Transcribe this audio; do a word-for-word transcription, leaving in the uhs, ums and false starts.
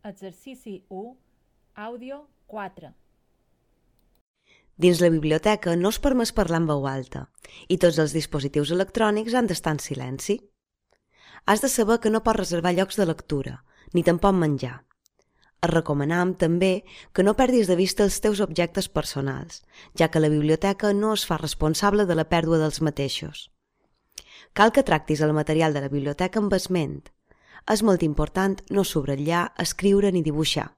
Exercici u, àudio quatre. Dins la biblioteca no és permès parlar en veu alta i tots els dispositius electrònics han d'estar en silenci. Has de saber que no pots reservar llocs de lectura, ni tampoc menjar. Et recomanam també que no perdis de vista els teus objectes personals, ja que la biblioteca no es fa responsable de la pèrdua dels mateixos. Cal que tractis el material de la biblioteca amb esment. És molt important no subratllar, escriure ni dibuixar.